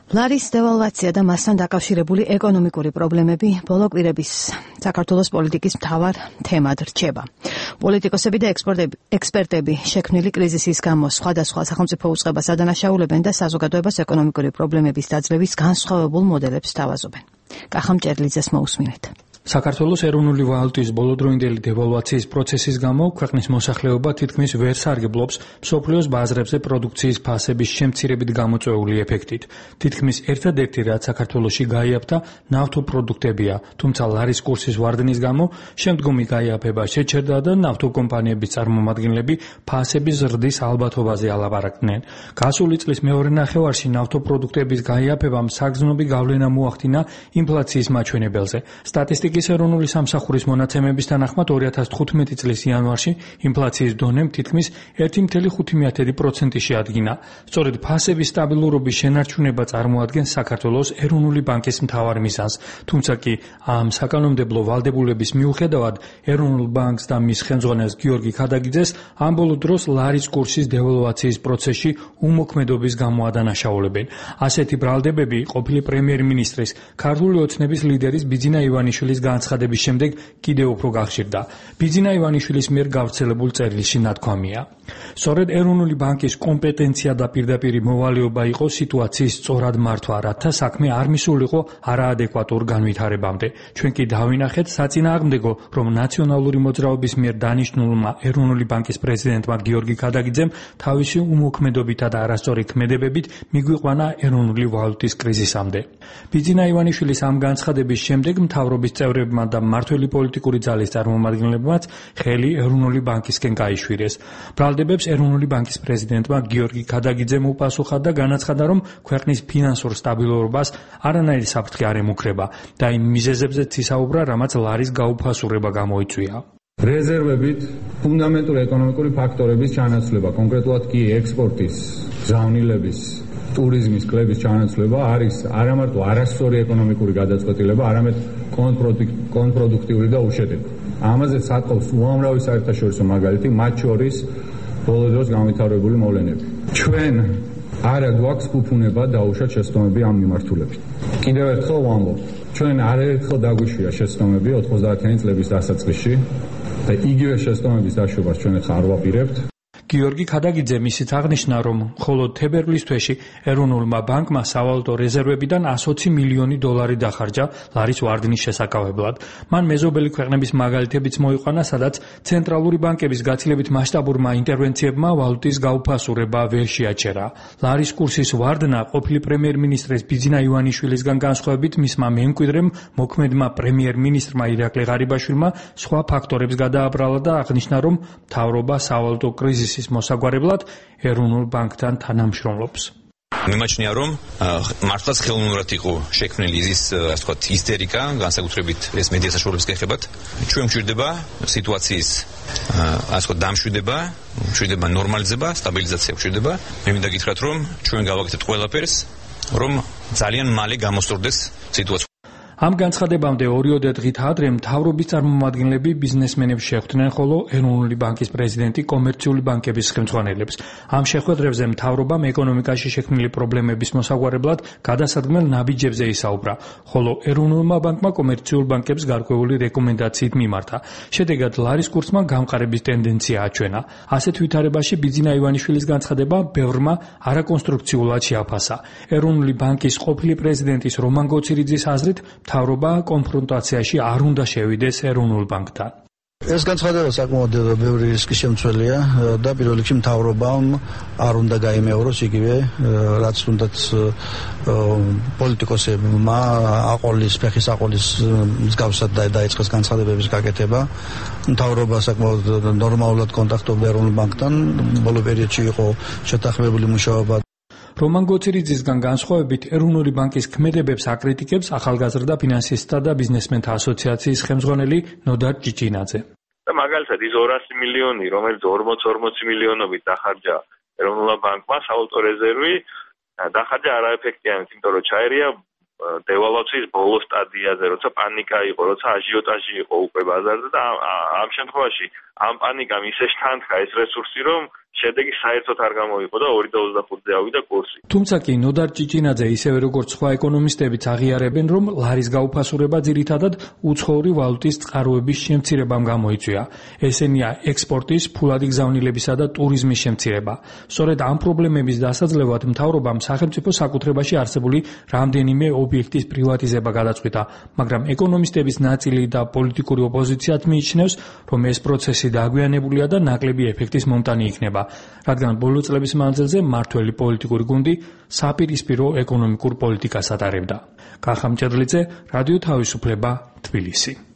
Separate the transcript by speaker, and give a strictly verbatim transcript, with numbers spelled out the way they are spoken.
Speaker 1: ლარის დევალვაცია და მასთან დაკავშირებული ეკონომიკური პრობლემები ბოლო კვირების საქართველოს პოლიტიკის მთავარ თემად რჩება. პოლიტიკოსები და ექსპერტები შექმნილი კრიზისის გამო სხვადასხვა სახელმწიფო უწყებას ადანაშაულებენ და საზოგადოებას ეკონომიკური პრობლემების დაძლევის განსხვავებულ მოდელებს სთავაზობენ. კახამ ჭერლიძეს მოусმინეთ.
Speaker 2: საქართველოს ეროვნული ვალუტის ბოლოდროინდელი დევალვაციის პროცესის გამო ქვეყნის მოსახლეობა თითქმის ვერ სარგებლობს მსოფლიოს ბაზრებზე პროდუქციის ფასების შემცირებით გამოწვეული ეფექტით. თითქმის ერთადერთი რაც საქართველოში გაიაფთა ნავთობპროდუქტებია, თუმცა ლარის კურსის ვარდნის გამო შემდგომი გაიაფება შეჩერდა და ნავთობკომპანიების წარმომადგენლები ფასების ზრდის ალბათობაზე ალაპარაკდნენ. გასული წლის მეორე ნახევარში ნავთობპროდუქტების გაიაფებამ საგრძნობი გავლენა მოახდინა ინფლაციის მაჩვენებელზე. სტატისტიკის ეროვნული სამსახურის მონაცემების თანახმად ორი ათას თხუთმეტი წლის იანვარში ინფლაციის დონემ თითქმის ერთი კoma ხუთი პროცენტი შეადგინა. სწორედ ფასების სტაბილურობის შენარჩუნება წარმოადგენს საქართველოს ეროვნული ბანკის მთავარ მიზანს, თუმცა კი ამ საკანონმდებლო ვალდებულების მიუხედავად ეროვნულ ბანკს და მის ხელმძღვანელს გიორგი ქადაგიძეს ამ ბოლო დროს ლარის კურსის დევალვაციის პროცესში უმოქმედობის გამო ადანაშაულებენ. ასეთი ბრალდებები ყოფილი პრემიერ-მინისტრის, ქართული ოცნების ლიდერის ბიძინა ივანიშვილის განცხადების შემდეგ კიდევ უფრო გახშირდა. ბიძინა ივანიშვილის მიერ გავრცელებულ წერილში ნათქვამია. სწორედ ეროვნული ბანკის კომპეტენცია და პირდაპირი მოვალეობა იყო სიტუაციის სწორად მართვა, რათა საქმე არ მისულიყო არაადეკვატურ განვითარებამდე. ჩვენ კი დავინახეთ საწინააღმდეგო, რომ ნაციონალური მოძრაობის მიერ დანიშნულმა ეროვნული ბანკის პრეზიდენტმა გიორგი ქადაგიძემ თავისი უმოქმედობითა და არასწორი ქმედებებით მიგვიყვანა ეროვნული ვალუტის კრიზისამდე. ბიძინა ივანიშვილის ამ განცხადების შემდეგ მთავრობის წევრებმა და მმართველი პოლიტიკური ძალის წარმომადგენლებმაც ხელი ეროვნული ბანკისკენ გაიშვირეს. ბრალდებებს ეროვნული ბანკის პრეზიდენტმა გიორგი ქადაგიძემ უპასუხა და განაცხადა, რომ ქვეყნის ფინანსურ სტაბილურობას არანაირი საფრთხე არ ემუქრება და იმ მიზეზებზეც ისაუბრა, რამაც ლარის გაუფასურება გამოიწვია.
Speaker 3: რეზერვებით ფუნდამენტური ეკონომიკური ფაქტორების ჩანაცვლება, კონკრეტულად კი ექსპორტის, გზავნილების, ტურიზმის კლების ჩანაცვლება არის არამარტო არასწორი ეკონომიკური გადაწყვეტილება, არამედ კონტრპროდუქტიული და უშედეგი. ამაზე სათხოვს უამრავი საერთაშორისო მაგალითი, მათ შორის ბოლო დროს განვითარებული მოვლენები. ჩვენ არა გვაქვს ფუფუნება დაუშვათ შეცდომები ამ მიმართულებით. კიდევ ერთხელ ვამბობ, ჩვენ არაერთხელ დაგვიშვია შეცდომები ოთხმოცდაათიანი წლების დასაწყისში და იგივე შეცდომების დაშვებას ჩვენ ახლა არ ვაპირებთ.
Speaker 2: გიორგი ქადაგიძე ისიც აღნიშნა, რომ მხოლოდ თებერვლის თვეში ეროვნულმა ბანკმა სავალუტო რეზერვებიდან ოცი მილიონი დოლარი დახარჯა ლარის ვარდნის შესაკავებლად. მან მეზობელი ქვეყნების მაგალითებიც მოიყვანა, სადაც ცენტრალური ბანკების გაცილებით მასშტაბურმა ინტერვენციებმა ვალუტის გაუფასურება ვერ შეაჩერა. ლარის კურსის ვარდნა ყოფილი პრემიერ-მინისტრის ბიძინა ივანიშვილისგან განსხვავებით მისმა მემკვიდრემ მოქმედმა პრემიერ-მინისტრმა ირაკლი ღარიბაშვილმა სხვა ფაქტორებს გადააბრალა და აღნიშნა, რომ მთავრობა სავალუტო კრიზისის მოსაგვარებლად ეროვნულ ბანკთან თანამშრომლობს.
Speaker 4: მიმაჩნია, რომ მართლაც ხელოვნურად იყო შექმნილი ის, ასე ვთქვათ, ისტერიკა, განსაკუთრებით ეს მედია საშუალებების გეხებათ. ჩვენ გვჭირდება სიტუაციის, ასე ვთქვათ, დამშვიდება, გვჭირდება ნორმალიზება, სტაბილიზაცია გვჭირდება. მე მინდა გითხრათ, რომ ჩვენ გავაკეთეთ ყველაფერს, რომ ძალიან მალე გამოსწორდეს სიტუაცია.
Speaker 2: ამ განცხადებამდე ორიოდე დღით ადრე მთავრობის წარმომადგენლები ბიზნესმენებს შეხვდნენ, ხოლო ეროვნული ბანკის პრეზიდენტი კომერციული ბანკების ხელმძღვანელებს. ამ შეხვედრებზე მთავრობამ ეკონომიკაში შექმნილი პრობლემების მოსაგვარებლად გადასადგმელ ნაბიჯებზე ისაუბრა, ხოლო ეროვნულმა ბანკმა კომერციულ ბანკებს გარკვეული რეკომენდაციით მიმართა. შედეგად ლარის კურსმა გამყარების ტენდენცია აჩვენა. ასეთ ვითარებაში ბიძინა ივანიშვილის განცხადება ბევრმა არაკონსტრუქციულად შეაფასა. ეროვნული ბანკის ყოფილი პრეზიდენტის რომან გოცირიძის აზრით მთავრობა კონფრონტაციაში არ უნდა შევიდეს ეროვნულ ბანკთან.
Speaker 5: ეს განცხადება საკმაოდ ბევრი რისკის შემცველია და პირველ რიგში მთავრობამ არ უნდა გაიმეოროს იგივე რაც თუნდაც პოლიტიკოსებმა აყოლის, ფეხის აყოლის მსგავსად დაიწყეს განცხადებების გაკეთება. მთავრობა საკმაოდ ნორმალურად კონტაქტობდა ეროვნულ ბანკთან, ბოლო პერიოდში იყო შეთანხმებული მუშაობა.
Speaker 2: რომან გოცირიძისგან განსხვავებით ეროვნული ბანკის ქმედებებს აკრიტიკებს ახალგაზრდა ფინანსისტთა და ბიზნესმენთა ასოციაციის ხელმძღვანელი ნოდარ ჭიჭინაძე.
Speaker 6: მაგალითად ის ორასი მილიონი, რომელიც ორმოცი ორმოცი მილიონობით დახარჯა ეროვნულ ბანკმა სავალუტო რეზერვი, დახარჯა არაეფექტიანად, იმიტომ რომ ჩაერია დევალვაციის ბოლო სტადიაზე, როცა პანიკა იყო, როცა აჟიოტაჟი იყო უკვე ბაზარზე და ამ შემთხვევაში ამ პანიკამ ისე შთანთქა ეს რესურსი, რომ შედეგი საერთოდ არ გამოიყო და ორი და ოცდახუთზე ავიდა კურსი.
Speaker 2: თუმცა კი ნოდარ ჭიჭინაძე ისევე როგორც სხვა ეკონომისტებიც აღიარებენ, რომ ლარის გაუფასურება ძირითადად უცხოური ვალუტის წყაროების შემცირებამ გამოიწვია. ესენია ექსპორტის, ფულადი გზავნილებისა და ტურიზმის შემცირება. სწორედ ამ პრობლემების დასაძლევად მთავრობამ სახელმწიფო საკუთრებაში არსებული რამდენიმე ობიექტის პრივატიზება გადაწყვიტა, მაგრამ ეკონომისტების ნაწილი და პოლიტიკური ოპოზიციაც მიიჩნევს, რომ ეს პროცესი დაგვიანებულია და ნაკლები ეფექტის მომტანი იქნება, რადგან ბოლო წლების მანძილზე მმართველი პოლიტიკური გუნდი საპირისპირო ეკონომიკურ პოლიტიკას ატარებდა. კახა მჭედლიძე, რადიო თავისუფლება, თბილისი.